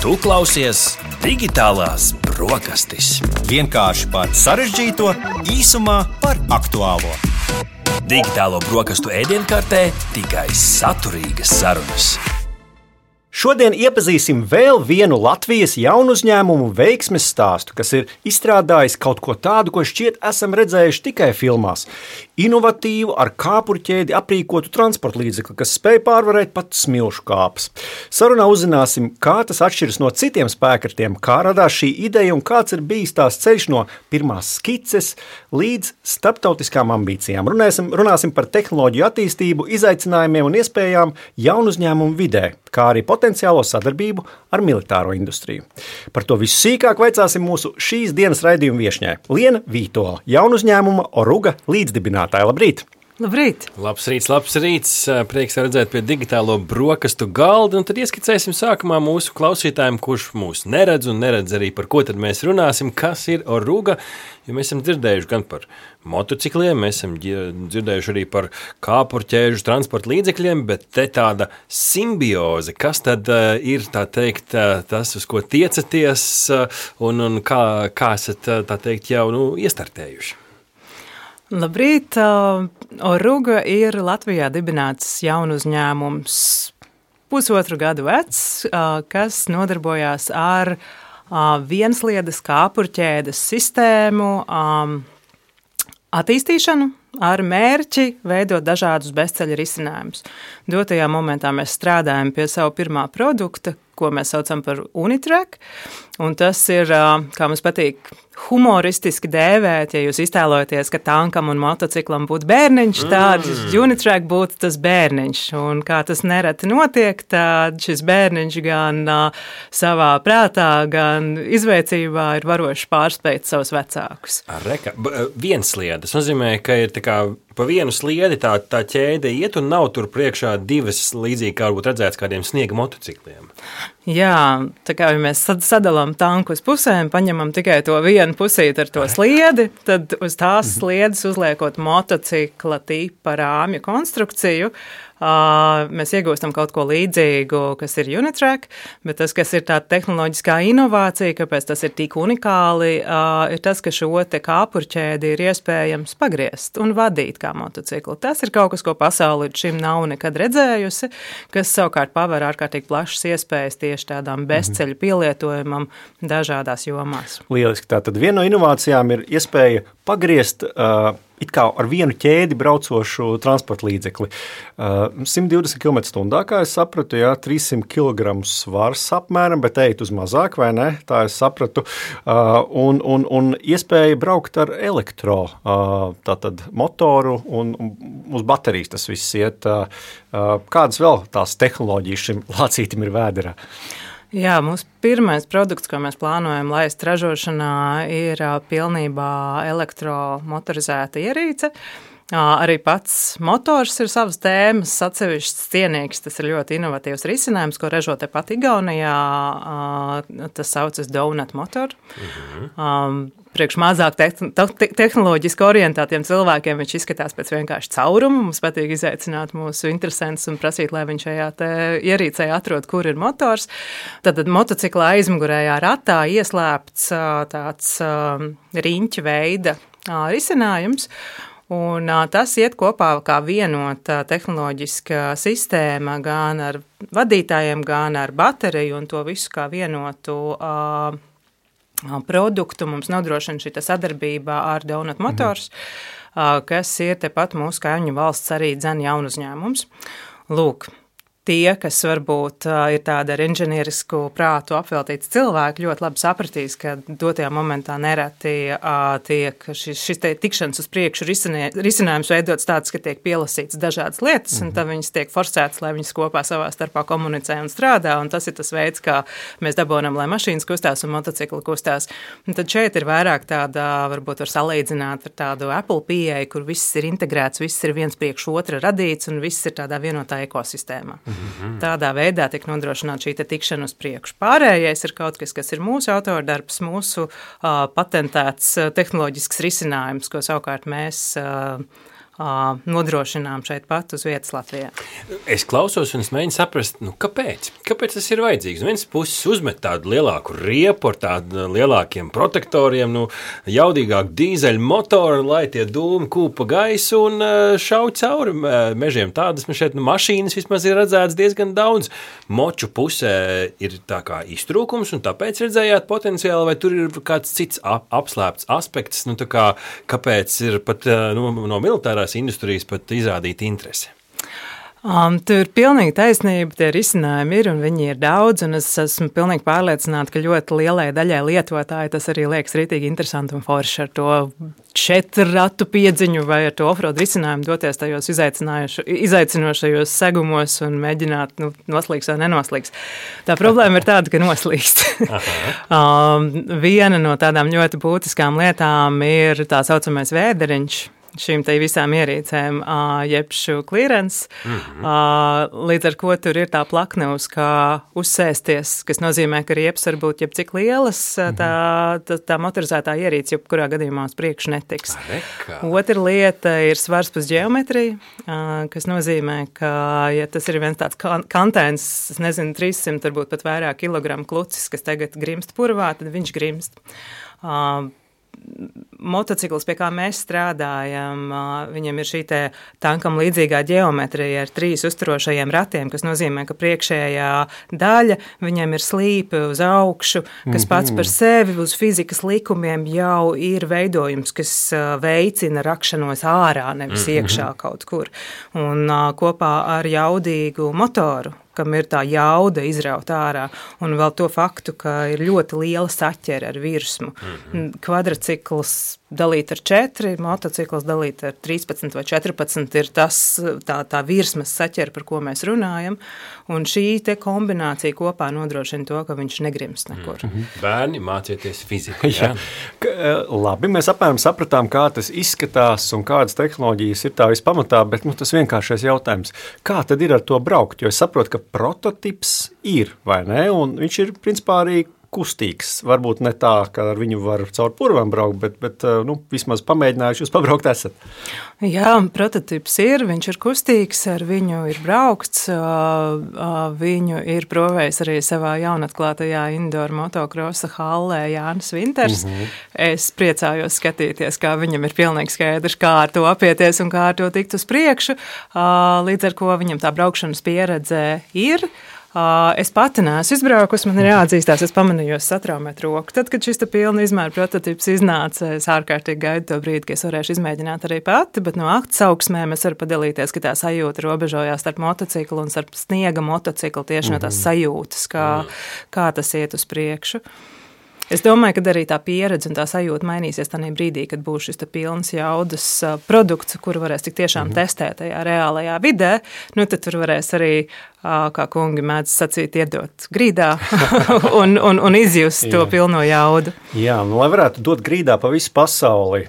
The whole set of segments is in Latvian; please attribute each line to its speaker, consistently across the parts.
Speaker 1: Tu klausies Digitālās brokastis.
Speaker 2: Vienkārši par sarežģīto, īsumā par aktuālo.
Speaker 1: Digitālo brokastu ēdienkartē tikai saturīgas sarunas.
Speaker 3: Šodien iepazīsim vēl vienu Latvijas jaunu uzņēmumu veiksmes stāstu, kas ir izstrādājis kaut ko tādu, ko šķiet esam redzējuši tikai filmās. Inovatīvu, ar kāpurķēdi aprīkotu transporta līdzekli, kas spēj pārvarēt pat smilšu kāpes. Sarunā uzzināsim, kā tas atšķiras no citiem spēkratiem, kā radās šī ideja un kāds ir bijis tās ceļš no pirmās skices līdz starptautiskām ambīcijām. Runāsim par tehnoloģiju attīstību, izaicinājumiem un iespējām jaunu uzņēmumu vidē, kā arī potenciālo sadarbību ar militāro industriju. Par to visu sīkāk vaicāsim mūsu šīs dienas raidījuma viešņai. Liena Vītola, jaunu uzņēmuma Oruga līdzdibinātāja. Labrīt!
Speaker 4: Labrīt!
Speaker 5: Labs rīts! Prieks redzēt pie digitālo brokastu galda. Un tad ieskicēsim sākumā mūsu klausītājiem, kurš mūs neredz un neredz arī par ko tad mēs runāsim, kas ir Oruga. Jo mēs esam dzirdējuši gan par motocikliem, mēs esam dzirdējuši arī par kāpurķēžu transporta līdzekļiem, bet te tāda simbioze, kas tad ir, tā teikt, tas, uz ko tiecaties un kā esat, tā teikt, jau iestartējuši?
Speaker 4: Labrīt! Oruga ir Latvijā dibināts jaunu uzņēmums, pusotru gadu vecs, kas nodarbojās ar viensliedes kāpurķēdes sistēmu attīstīšanu ar mērķi veidot dažādus bezceļa risinājumus. Dotajā momentā mēs strādājam pie savu pirmā produkta, ko mēs saucam par Unitrack, un tas ir, kā mums patīk, humoristiski dēvēt, ja jūs iztēlojaties, ka tankam un motociklam būtu bērniņš, tad Unitrack būtu tas bērniņš, un kā tas nereti notiek, tad šis bērniņš gan savā prātā, gan izveicībā ir varoši pārspēt savus vecākus.
Speaker 5: Viensliedes nozīmē, ka ir tā kā pa vienu sliedi tā ķēde iet un nav tur priekšā divas līdzīgi, kā varbūt redzēts kādiem sniega motocikliem.
Speaker 4: Jā, tā kā ja mēs sadalām tanku uz pusēm, paņemam tikai to vienu pusīti ar to sliedi, tad uz tās sliedes uzliekot motocikla tipa rāmju konstrukciju, mēs iegūstam kaut ko līdzīgu, kas ir Unitrack, bet tas, kas ir tā tehnoloģiskā inovācija, kāpēc tas ir tik unikāli, ir tas, ka šo te kāpurķēdi ir iespējams pagriezt un vadīt kā motociklu. Tas ir kaut kas, ko pasauli līdz šim nav nekad redzējusi, kas savukārt paver ārkārtīgi plašas iespējas tieši tādām bezceļu pielietojumam dažādās jomās.
Speaker 3: Lieliski. Tātad viena no inovācijām ir iespēja pagriezt it kā ar vienu ķēdi braucošu transporta līdzekli. 120 km/h, kā es sapratu, 300 kg svars apmēram, bet ejat uz mazāk, vai ne? Tā es sapratu. Un iespēja braukt ar tātad motoru un uz baterijas tas viss iet. Kādas vēl tās tehnoloģijas šim lācītim ir vēderā?
Speaker 4: Jā, mūsu pirmais produkts, ko mēs plānojam laist ražošanā, ir pilnībā elektromotorizēta ierīce. Arī pats motors ir savas tēmas, atsevišķs cienīgs, tas ir ļoti inovatīvs risinājums, ko ražo tepat Igaunijā, tas saucas Donut Motor. Priekš mazāk tehnoloģiski orientētiem cilvēkiem viņš izskatās pēc vienkārši cauruma. Mums patīk izaicināt mūsu interesantus un prasīt, lai viņš šajā ierīcē atrod, kur ir motors. Tad motociklā aizmugurējā ratā ieslēpts tāds riņķa veida risinājums. Un tas iet kopā kā vienota tehnoloģiska sistēma gan ar vadītājiem, gan ar bateriju un to visu kā vienotu produktu mums nodrošina šī sadarbība ar Donut Motors, kas ir tepat mūsu kaimiņu valsts arī jaunu uzņēmums. Lūk, tie, kas varbūt ir tāda ar inženierisku prātu apveltīts cilvēki, ļoti labi sapratīs, ka dotajā momentā nereti tiek šis tikšanas uz priekšu risinājums veidots tāds, ka tiek pielasīts dažādas lietas, un tad viņas tiek forsētas, lai viņas kopā savā starpā komunicē un strādā, un tas ir tas veids, kā mēs dabonam, lai mašīnas kustās un motocikli kustās. Un tad šeit ir vairāk tāda, varbūt var salīdzināt ar tādu Apple pieeju, kur viss ir integrēts, viss ir viens priekš otra radīts, un viss ir tādā vienotā ekosistēmā. Tādā veidā tiek nodrošināta šī tikšana uz priekšu. Pārējais ir kaut kas, kas ir mūsu autordarbs, mūsu patentēts tehnoloģisks risinājums, ko savukārt mēs nodrošinām šeit pat uz vietas Latvijā.
Speaker 5: Es klausos un es mēģinu saprast, kāpēc? Kāpēc tas ir vajadzīgs? Viens puses uzmet tādu lielāku riepu ar tādiem lielākiem protektoriem, jaudīgāku dīzeļu motoru, lai tie dūmi kūpa gaisu un šauj cauri mežiem. Tādas man šeit mašīnas vismaz ir redzētas diezgan daudz. Moču pusē ir tā kā iztrūkums un tāpēc redzējāt potenciāli, vai tur ir kāds cits apslēpts aspekts, kāpēc ir pat no militārās industrijas pat izrādīt interesi?
Speaker 4: Tur ir pilnīgi taisnība, tie risinājumi ir un viņi ir daudz, un es esmu pilnīgi pārliecināta, ka ļoti lielai daļai lietotāji tas arī liekas rītīgi interesanti un forši ar to 4 ratu piedziņu vai ar to offroad risinājumu doties tajos izaicinošajos segumos un mēģināt noslīgs vai nenoslīgs. Tā problēma ir tāda, ka noslīgst. Viena no tādām ļoti būtiskām lietām ir tā saucamais vēderiņš, šīm te visām ierīcēm, jebšu clearance, līdz ar ko tur ir tā plakne uz kā uzsēsties, kas nozīmē, ka riepas var būt jebcik lielas, tā motorizētā ierīce jebkurā gadījumā uz priekšu netiks. Otra lieta ir svars plus ģeometrija, kas nozīmē, ka, ja tas ir viens tāds kantēns, es nezinu, 300, varbūt pat vairāk kilogramu klucis, kas tagad grimst purvā, tad viņš grimst. Motocikls, pie kā mēs strādājam, viņam ir šī te tankam līdzīgā ģeometrija ar 3 uzturošajiem ratiem, kas nozīmē, ka priekšējā daļa viņam ir slīpe uz augšu, kas pats par sevi uz fizikas likumiem jau ir veidojums, kas veicina rakšanos ārā, nevis iekšā kaut kur. Un kopā ar jaudīgu motoru, kam ir tā jauda izraut ārā, un vēl to faktu, ka ir ļoti liela saķere ar virsmu. Kvadricikls dalīt ar 4, motocikls dalīt ar 13 vai 14 ir tā virsmas saķere, par ko mēs runājam, un šī te kombinācija kopā nodrošina to, ka viņš negrimst nekur.
Speaker 5: Bērni, mācieties fiziku. Jā.
Speaker 3: Labi, mēs apmēram sapratām, kā tas izskatās un kādas tehnoloģijas ir tā vispamatā, bet tas vienkāršais jautājums. Kā tad ir ar to braukt? Jo es saprotu, ka prototips ir, vai ne? Un viņš ir principā arī kustīgs. Varbūt ne tā, ka ar viņu var caur purvam braukt, bet vismaz pamēģinājuši jūs pabraukt esat.
Speaker 4: Jā, prototips ir, viņš ir kustīgs, ar viņu ir braukts, viņu ir provējis arī savā jaunatklātajā indoor motokrosa hallē Jānis Vinters. Es priecājos skatīties, kā viņam ir pilnīgi skaidrs, kā ar to apieties un kā ar to tikt uz priekšu, līdz ar ko viņam tā braukšanas pieredze ir. Es pati neesmu izbraukusi, man ir jāatzīstās, es pamanījos satraumēt roku. Tad, kad šis pilna izmēra prototips iznāca, es ārkārtīgi gaidu to brīdi, ka es varēšu izmēģināt arī pati, bet no aktsauksmēm es varu padalīties, ka tā sajūta robežojās starp motociklu un starp sniega motociklu tieši no tās sajūtas, kā tas iet uz priekšu. Es domāju, ka arī tā pieredze un tā sajūta mainīsies tajā brīdī, kad būs šis pilns jaudas produkts, kuru varēs tik tiešām testēt tajā reālajā vidē, tad tur varēs arī, kā kungi mēdz sacīt, iedot grīdā un izjust to pilno jaudu.
Speaker 3: Jā, lai varētu dot grīdā pa visu pasauli,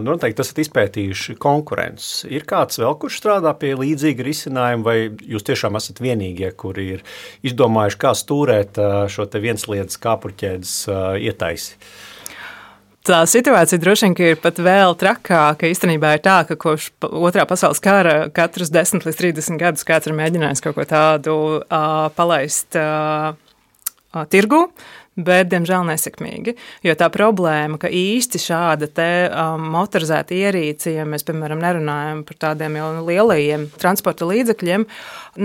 Speaker 3: noteikti esat izpētījuši konkurences. Ir kāds vēl, kurš strādā pie līdzīga risinājuma, vai jūs tiešām esat vienīgie, kuri ir izdomājuši, kā stūrēt šo te viensliedas kāpurķēdes ietaisi?
Speaker 4: Tā situācija droši vien ir pat vēl trakāka. Īstenībā ir tā, ka kopš Otrā pasaules kara katrus 10 līdz 30 gadus kāds ir mēģinājis kaut ko tādu palaist tirgu, bet, diemžēl, nesekmīgi. Jo tā problēma, ka īsti šāda te motorizēta ierīce, ja mēs, piemēram, nerunājam par tādiem jau lielajiem transporta līdzekļiem,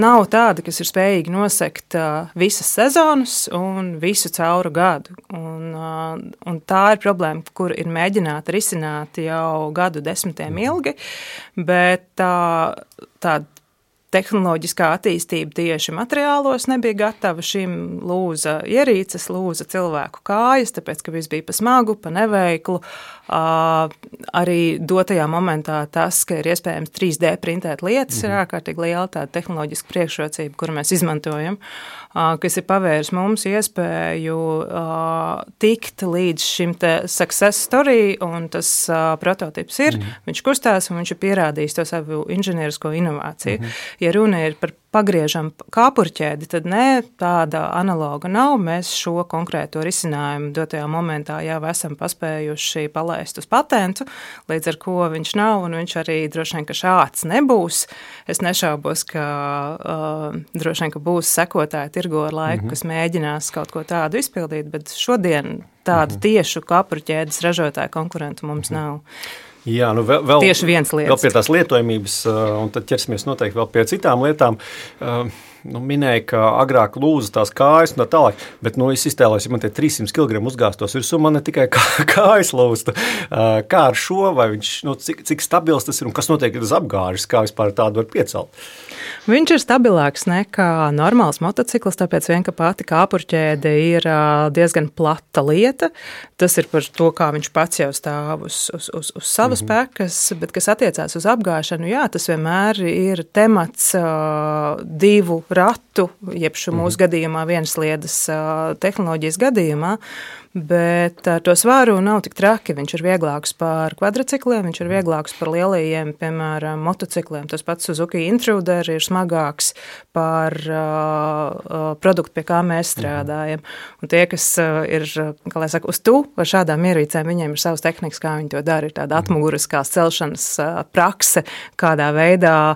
Speaker 4: nav tāda, kas ir spējīgi nosekt visas sezonas un visu cauru gadu. Un tā ir problēma, kur ir mēģināta risināt jau gadu desmitiem ilgi, bet tā tehnoloģiskā attīstība tieši materiālos nebija gatava, šim lūza ierīces, lūza cilvēku kājas, tāpēc, ka viss bija pa smagu, pa neveiklu. Arī dotajā momentā tas, ka ir iespējams 3D printēt lietas, ir ārkārtīgi liela tāda tehnoloģiska priekšrocība, kuru mēs izmantojam, kas ir pavērs mums iespēju tikt līdz šim te success story, un tas prototips ir, viņš kustās, un viņš ir pierādījis to savu inženierisko inovāciju. Ja runa ir par pagriežam kāpurķēdi, tad ne, tāda analoga nav. Mēs šo konkrēto risinājumu dotajā momentā jau esam paspējuši palaist uz patentu, līdz ar ko viņš nav, un viņš arī droši vien, ka šāds nebūs. Es nešaubos, ka droši vien, ka būs sekotāji tirgo ar laiku, kas mēģinās kaut ko tādu izpildīt, bet šodien tādu tiešu kāpurķēdes ražotāju konkurentu mums nav.
Speaker 3: Jā, nu vēl
Speaker 4: tieši viens lietas.
Speaker 3: Vēl pie tās lietojamības, un tad ķersimies noteikti vēl pie citām lietām. Minēja, ka agrāk lūza tās kājas un tā tālāk, bet es iztēlojos, ja man tie 300 kg uzgāstos virsū, man ne tikai kājas lūsta. Kā ar šo, vai viņš, cik stabils tas ir un kas notiek, kad tas apgāžas, kā vispār tādu var piecelt?
Speaker 4: Viņš ir stabilāks nekā normāls motocikls, tāpēc vien, ka pati kāpurķēde ir diezgan plata lieta. Tas ir par to, kā viņš pats jau stāv uz savas pekas, bet kas attiecās uz apgāšanu, jā, tas vienmēr ir temats divu ratu, jeb mūsu gadījumā vienas sliedas tehnoloģijas gadījumā, bet ar to svāru nav tik traki. Viņš ir vieglāks par kvadricikliem, viņš ir vieglāks par lielajiem, piemēram, motocikliem. Tas pats Suzuki Intruder ir smagāks par produktu, pie kā mēs strādājam. Un tie, kas ir, kā lai saka, uz tu ar šādām ierīcēm, viņiem ir savas tehnikas, kā viņi to dara, ir tāda atmuguriskās celšanas prakse, kādā veidā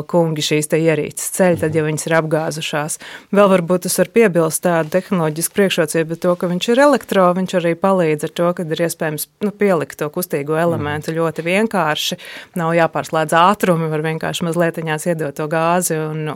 Speaker 4: kungi šīs te ierīces ceļ, tad, ja viņas ir apgāzušās. Vēl varbūt tas var piebilst tādu tehnoloģisku priekšrocību, bet to, ka viņš ir elektro, viņš arī palīdz ar to, kad ir iespējams pielikt to kustīgo elementu ļoti vienkārši. Nav jāpārslēdz ātrumi, var vienkārši mazlietiņās iedot to gāzi un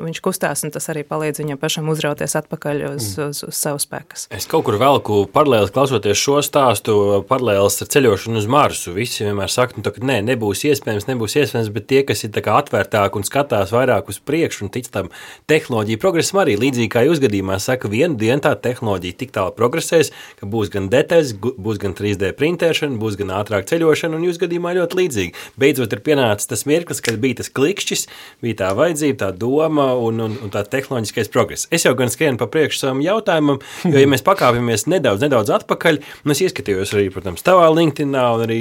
Speaker 4: viņš kustās, un tas arī palīdz viņam pašam uzrauties atpakaļ uz savu spēkas.
Speaker 5: Es kaut kur velku paralēli klausoties šo stāstu, paralēlis ar ceļošanu uz Marsu. Visi vienmēr saka, ka nebūs iespējams, bet tie, kas ir tā kā atvērtāk un skatās vairāk uz priekšu un tic tam tehnoloģiju progresam arī līdzīgi kā jūs gadījumā saka, vienu dienu tā tehnoloģija tik tālu progresēs, ka būs gan detaļas, būs gan 3D printēšana, būs gan ātrāk ceļošana, un jūs gadījumā ļoti līdzīgi. Beidzot ir pienācis tas mirklis, kad bija tas klikšķis, bija tā vajadzība, tā doma un tā tehnoloģiskais progress. Es jau gan skrienu pa priekšu savam jautājumam, jo, ja mēs pakāpjamies nedaudz atpakaļ, un es ieskatījos arī, protams, tavā LinkedInā, un arī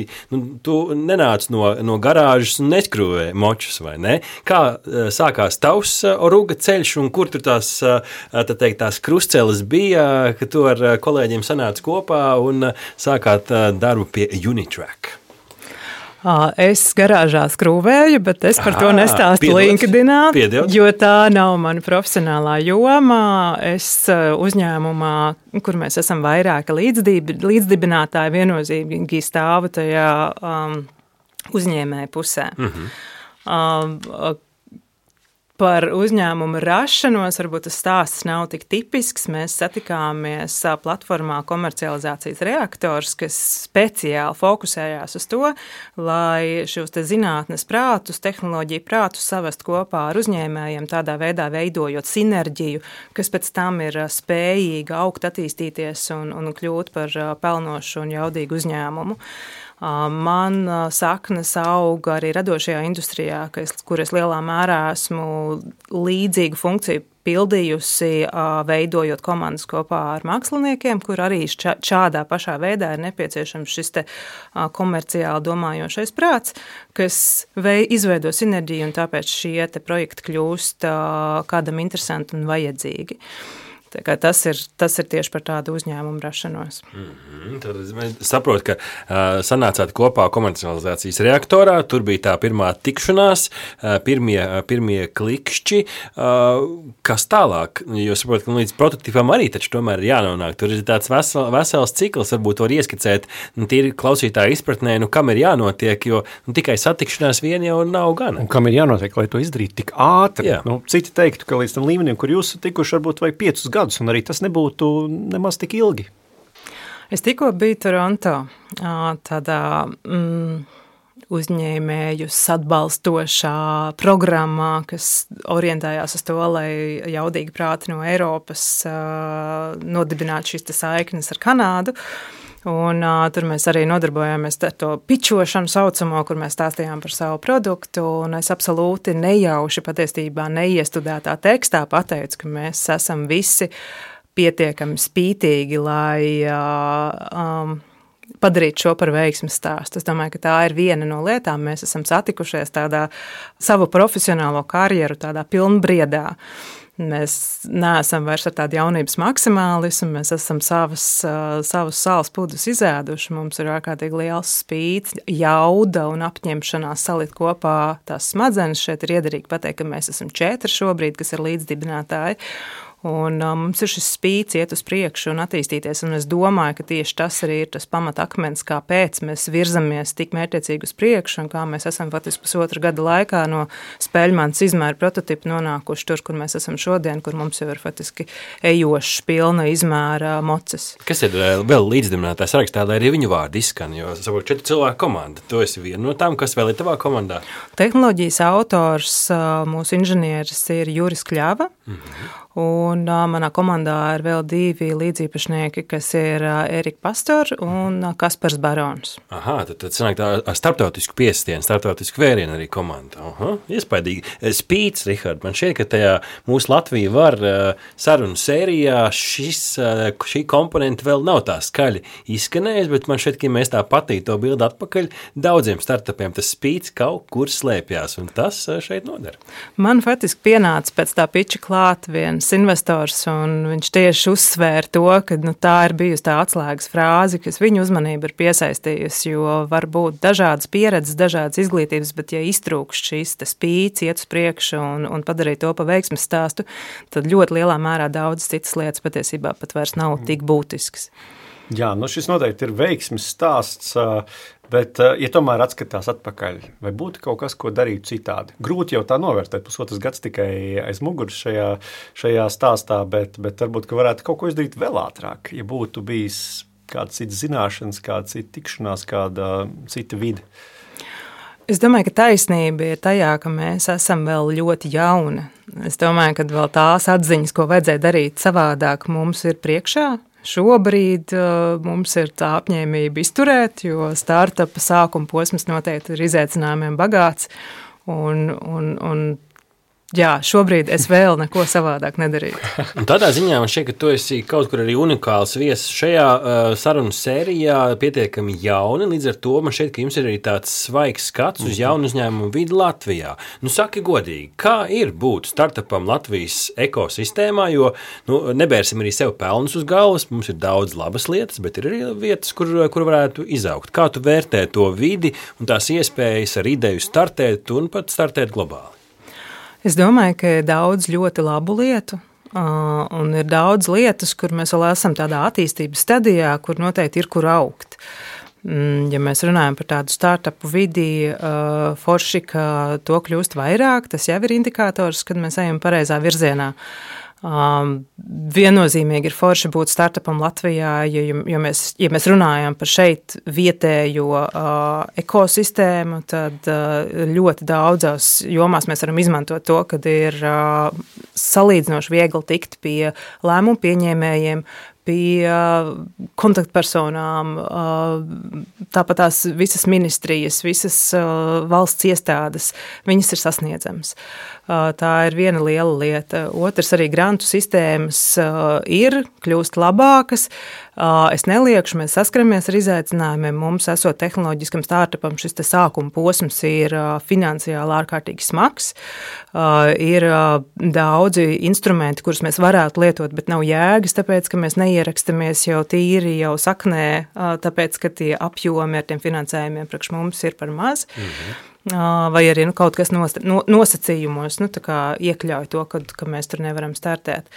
Speaker 5: tu nenāc no garāžas un neskrūvē močus, vai ne? Kā sākās tavs Oruga ceļš, un kur tur tās krustceles bija, ka tu ar kolēģiem sanāca kopā un sākāt darbu pie Unitrack?
Speaker 4: Es garāžā skrūvēju, bet es par to nestāstu LinkedInā, jo tā nav mana profesionālā joma. Es uzņēmumā, kur mēs esam vairāki līdzdibinātāji, viennozīmīgi stāvu tajā uzņēmēju pusē. Par uzņēmumu rašanos varbūt tas stāsts nav tik tipisks. Mēs satikāmies platformā Komercializācijas reaktors, kas speciāli fokusējās uz to, lai šos te zinātnes prātus, tehnoloģiju prātus savest kopā ar uzņēmējiem, tādā veidā veidojot sinerģiju, kas pēc tam ir spējīga augt, attīstīties un kļūt par pelnošu un jaudīgu uzņēmumu. Man saknes auga arī radošajā industrijā, kur es lielā mērā esmu līdzīgu funkciju pildījusi, veidojot komandas kopā ar māksliniekiem, kur arī šādā pašā veidā ir nepieciešams šis te komerciāli domājošais prāts, kas izveido sinerģiju, un tāpēc šie te projekti kļūst kādam interesanti un vajadzīgi. Tas ir tieši par tādu uzņēmumu rašanos.
Speaker 5: Tad es saprotu, ka sanācāt kopā komercializācijas reaktorā, tur bija tā pirmā tikšanās, pirmie klikšķi. Kas tālāk? Jo saprotu, ka līdz prototipam arī taču tomēr ir jānonāk. Tur ir tāds vesels cikls, varbūt var ieskicēt, tīri klausītāja izpratnē, kam ir jānotiek, jo tikai satikšanās vien jau nav gana.
Speaker 3: Un kam ir jānotiek, lai to izdarītu tik ātri? Citi teiktu, ka līdz tam līmenim, kur jūs tikuši, varbūt vajag 5 gadus, un arī tas nebūtu nemaz tik ilgi.
Speaker 4: Es tikko biju Toronto, tādā uzņēmējus atbalstošā programmā, kas orientējās uz to, lai jaudīgi prāti no Eiropas nodibinātu šīs saiknes ar Kanādu. Un tur mēs arī nodarbojāmies ar to pičošanu saucamo, kur mēs stāstījām par savu produktu, un es absolūti nejauši patiesībā neiestudētā tekstā pateicu, ka mēs esam visi pietiekami spītīgi, lai padarīt šo par veiksmes stāstu. Es domāju, ka tā ir viena no lietām. Mēs esam satikušies tādā savu profesionālo karjeru, tādā pilnbriedā. Mēs neesam vairs ar tādu jaunības maksimālismu, mēs esam savus sāls pudus izēduši. Mums ir ārkārtīgi liels spīts, jauda un apņemšanās salikt kopā tās smadzenes. Šeit ir iederīgi pateikt, ka mēs esam 4 šobrīd, kas ir līdzdibinātāji. Un mums ir šis spīts iet uz priekšu un attīstīties, un es domāju, ka tieši tas arī ir tas pamatakmens, kāpēc mēs virzamies tik mērķiecīgi uz priekšu, un kā mēs esam faktiski 1,5 gada laikā no spēļmanas izmēra prototipu nonākuši tur, kur mēs esam šodien, kur mums jau ir faktiski ejošs pilna izmēra moces.
Speaker 5: Kas ir vēl līdzdibinātājs sarakstā, lai arī viņu vārdi izskan, jo saprot 4 cilvēku komanda. Tu esi viena no tām, kas vēl ir tavā komandā?
Speaker 4: Tehnoloģijas autors, mūsu inženieris ir Juris Kļava, un manā komandā ir vēl 2 līdzīpašnieki, kas ir Erika Pastor un Kaspars Barons.
Speaker 5: Aha, tad sanāk tā ar starptautisku piestienu, starptautisku vērienu arī komanda. Aha, iespaidīgi. Spīts, Rihard, man šķiet, ka tajā mūsu Latvija var sarunu sērijā šī komponenta vēl nav tā skaļi izskanējis, bet man šķiet, ka mēs tā patīt to bildi atpakaļ, daudziem startupiem tas spīts kaut kur slēpjās, un tas šeit nodara.
Speaker 4: Man faktiski pienāca pēc tā piča klāt viens investors, un viņš tieši uzsvēra to, ka tā ir bijusi tā atslēgas frāze, kas viņu uzmanību ir piesaistījusi, jo var būt dažādas pieredzes, dažādas izglītības, bet ja iztrūkst šīs spīts, iet uz priekšu un padarīt to pa veiksmes stāstu, tad ļoti lielā mērā daudz citas lietas patiesībā pat vairs nav tik būtisks.
Speaker 3: Jā, šis noteikti ir veiksmes stāsts, bet, ja tomēr atskatās atpakaļ, vai būtu kaut kas, ko darītu citādi? Grūti jau tā novērtēt, 1,5 gads tikai aiz muguras šajā stāstā, bet varbūt, ka varētu kaut ko izdarīt vēl ātrāk, ja būtu bijis kāda cita zināšanas, kāda cita tikšanās, kāda cita vide.
Speaker 4: Es domāju, ka taisnība ir tajā, ka mēs esam vēl ļoti jauni. Es domāju, ka vēl tās atziņas, ko vajadzēja darīt savādāk, mums ir priekšā. Šobrīd mums ir tā apņēmība izturēt, jo startupa sākuma posms noteikti ir izaicinājumiem bagāts. Jā, šobrīd es vēl neko savādāk nedarīju.
Speaker 5: Un tādā ziņā man šķiet, ka tu esi kaut kur arī unikāls viesis šajā sarunu sērijā, pietiekami jauni, līdz ar to man šķiet, ka jums ir arī tāds svaigs skats uz jaunu uzņēmumu vidi Latvijā. Saki godīgi, kā ir būt startupam Latvijas ekosistēmā, jo nebērsim arī sev pelnus uz galvas, mums ir daudz labas lietas, bet ir arī vietas, kur varētu izaugt. Kā tu vērtē to vidi un tās iespējas ar ideju startēt un pat startēt globāli?
Speaker 4: Es domāju, ka ir daudz ļoti labu lietu, un ir daudz lietas, kur mēs vēl esam tādā attīstības stadijā, kur noteikti ir kur augt. Ja mēs runājam par tādu startupu vidi, forši, ka to kļūst vairāk, tas jau ir indikators, kad mēs ejam pareizā virzienā. Viennozīmīgi ir forši būt startupam Latvijā, ja mēs runājam par šeit vietējo ekosistēmu, tad ļoti daudzās jomās mēs varam izmantot to, kad ir salīdzinoši viegli tikt pie lēmumu pieņēmējiem, pie kontaktpersonām, tāpat tās visas ministrijas, visas valsts iestādes, viņas ir sasniedzamas. Tā ir viena liela lieta. Otrs arī grantu sistēmas kļūst labākas. Es neliekšu, mēs saskaramies ar izaicinājumiem. Mums, esot tehnoloģiskam startupam, šis sākuma posms ir finansiāli ārkārtīgi smags. Ir daudzi instrumenti, kurus mēs varētu lietot, bet nav jēgas, tāpēc, ka mēs neierakstamies jau tīri, jau saknē, tāpēc, ka tie apjomi ar tiem finansējumiem priekš mums ir par maz. Vai arī kaut kas nosacījumos iekļauj to, ka mēs tur nevaram startēt.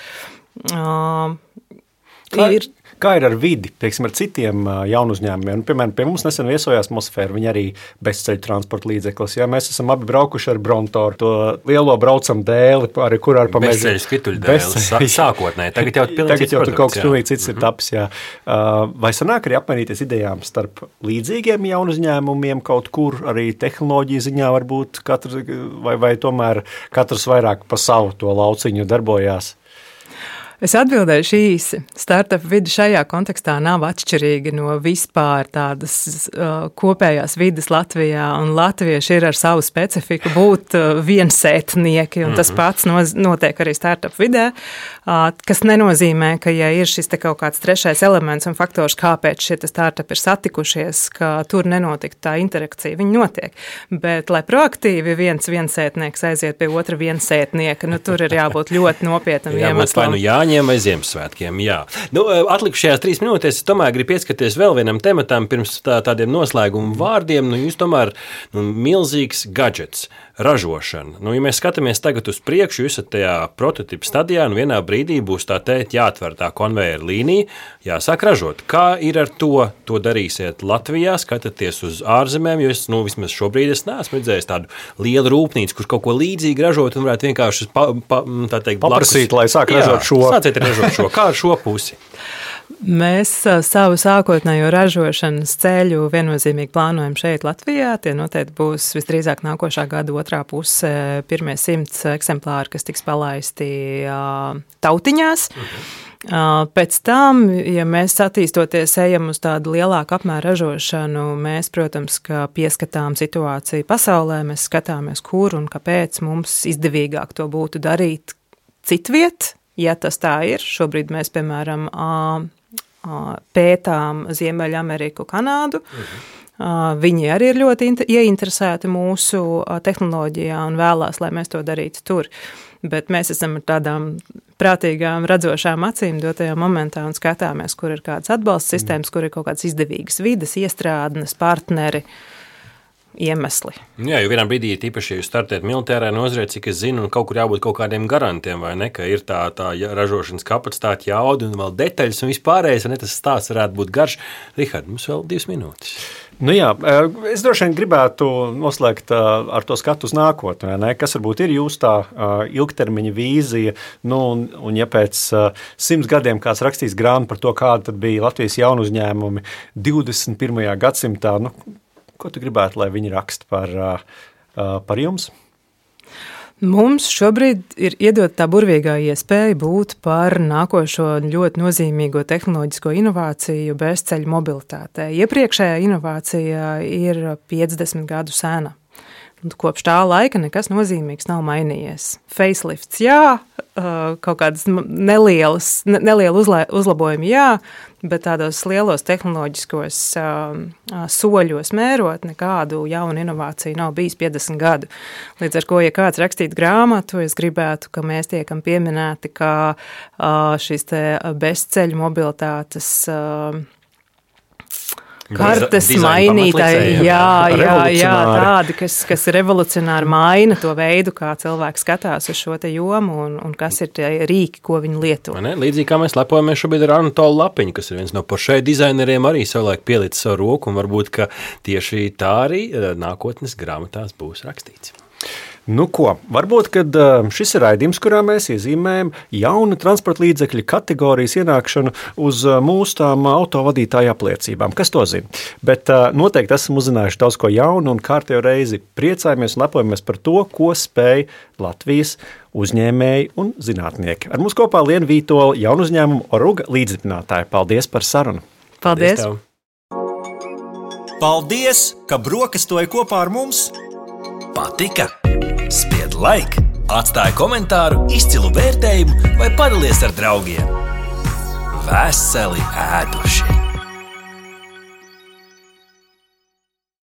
Speaker 3: Kā ir ar vidi, teiksim, ar citiem jaunu uzņēmumiem? Piemēram, pie mums nesen viesojās Mosfēra, viņi arī bezceļu transporta līdzeklis. Ja? Mēs esam abi braukuši ar Brontoru, to lielo braucam dēli, kur ar pamēģi.
Speaker 5: Bezceļu skrituļu dēli, sākotnēji. Tagad jau tur kaut kas pilnīgi cits ir taps. Jā. Vai sanāk arī apmainīties idejām starp līdzīgiem jaunu uzņēmumiem kaut kur, arī tehnoloģija ziņā varbūt vai tomēr katrs vairāk pa savu to lauciņu darbojās?
Speaker 4: Es atbildēšu īsi. Startup vide šajā kontekstā nav atšķirīga no vispār tādas kopējās vides Latvijā, un latvieši ir ar savu specifiku būt viensētnieki, un tas pats notiek arī startup vidē, kas nenozīmē, ka ja ir šis te kaut kāds trešais elements un faktors, kāpēc šie startupi ir satikušies, ka tur nenotika tā interakcija, viņi notiek. Bet, lai proaktīvi viensētnieks aiziet pie otra viensētnieka, tur ir jābūt ļoti nopietnam iemeslam.
Speaker 5: Jāņem vai Ziemassvētkiem, jā. Atlikušajās 3 minūtēs es tomēr gribu pieskaties vēl vienam tematam pirms tādiem noslēgumu vārdiem. Jūs tomēr milzīgs gadžets, ražošana. Ja mēs skatāmies tagad uz priekšu, jūs esat tajā prototipu stadijā, un vienā brīdī būs jāatver tā konvejeru līnija, jāsāk ražot. Kā ir ar to? To darīsiet Latvijā, skatāties uz ārzemēm, jo es, vismaz šobrīd es neesmu redzējis tādu lielu rūpnīcu, kurš kaut ko līdzīgi ražot un varētu vienkārši
Speaker 3: paprasīt, lai sāk ražot šo.
Speaker 5: Sāciet ražot šo. Kā ar šo pusi?
Speaker 4: Mēs savu sākotnējo ražošanas ceļu viennozīmīgi plānojam šeit Latvijā. Tie noteikti būs visdrīzāk nākošā gada otrā puse pirmie 100 eksemplāri, kas tiks palaisti tautiņās. Pēc tam, ja mēs attīstoties ejam uz tādu lielāku apmēru ražošanu, mēs, protams, ka pieskatām situāciju pasaulē, mēs skatāmies, kur un kāpēc mums izdevīgāk to būtu darīt citviet, ja tas tā ir. Šobrīd mēs, piemēram, pētām Ziemeļameriku, Kanādu. Viņi arī ir ļoti ieinteresēti mūsu tehnoloģijā un vēlās, lai mēs to darītu tur. Bet mēs esam ar tādām prātīgām, redzošām acīm dotajā momentā un skatāmies, kur ir kādas atbalsta sistēmas, kur ir kaut kādas izdevīgas vides, iestrādnes, partneri, iemesli.
Speaker 5: Jā, jo vienā brīdī, tīpaši, ja jūs startējat militārā nozarē, cik es zinu, un kaut kur jābūt kaut kādiem garantiem, vai ne, ka ir tā ražošanas kapacitāte, jauda un vēl detaļas un vispārējais, un tas stāsts varētu būt garš. Rihard, mums vēl 2 minūtes.
Speaker 3: Jā, es droši vien gribētu noslēgt ar to skatu uz nākotni, ne? Kas varbūt ir jūsu tā ilgtermiņa vīzija, un ja pēc 100 gadiem kāds rakstīs grāmatu par to, kāda tad bija Latvijas jaunu uzņēmumi 21. gadsimtā, ko tu gribētu, lai viņi raksta par jums?
Speaker 4: Mums šobrīd ir iedot tā burvīgā iespēja būt par nākošo ļoti nozīmīgo tehnoloģisko inovāciju bezceļu mobilitātē. Iepriekšējā inovācija ir 50 gadu sena. Kopš tā laika nekas nozīmīgs nav mainījies. Facelifts, jā, kaut kādas nelielu uzlabojumi, jā, bet tādos lielos tehnoloģiskos soļos mērot nekādu jaunu inovāciju nav bijis 50 gadu. Līdz ar ko, ja kāds rakstītu grāmatu, es gribētu, ka mēs tiekam pieminēti, kā šis te bezceļu mobilitātes kartes mainītāji, jā, tādi, kas revolucionāri maina to veidu, kā cilvēks skatās uz šo te jomu un kas ir tie rīki, ko viņi lieto.
Speaker 5: Līdzīgi kā mēs lepojamies šobrīd ar Anatolu Lapiņu, kas ir viens no Porsche dizaineriem, arī savulaik pielicis savu roku, un varbūt, ka tieši tā arī nākotnes grāmatās būs rakstīts.
Speaker 3: Varbūt, kad šis ir raidījums, kurā mēs iezīmējam jaunu transporta līdzekļu kategorijas ienākšanu uz mūsu tām autovadītāju apliecībām. Kas to zina? Bet noteikti esam uzzinājuši daudz ko jaunu un kārtējo reizi priecājamies un lepojamies par to, ko spēj Latvijas uzņēmēji un zinātnieki. Ar mums kopā Liena Vītola, jaunu uzņēmumu Oruga līdzdibinātāja. Paldies par sarunu!
Speaker 4: Paldies!
Speaker 2: Paldies, ka brokastoji kopā ar mums!
Speaker 1: Patika? Spied like, atstāj komentāru, izcilu vērtējumu vai padalies ar draugiem. Veseli ēduši!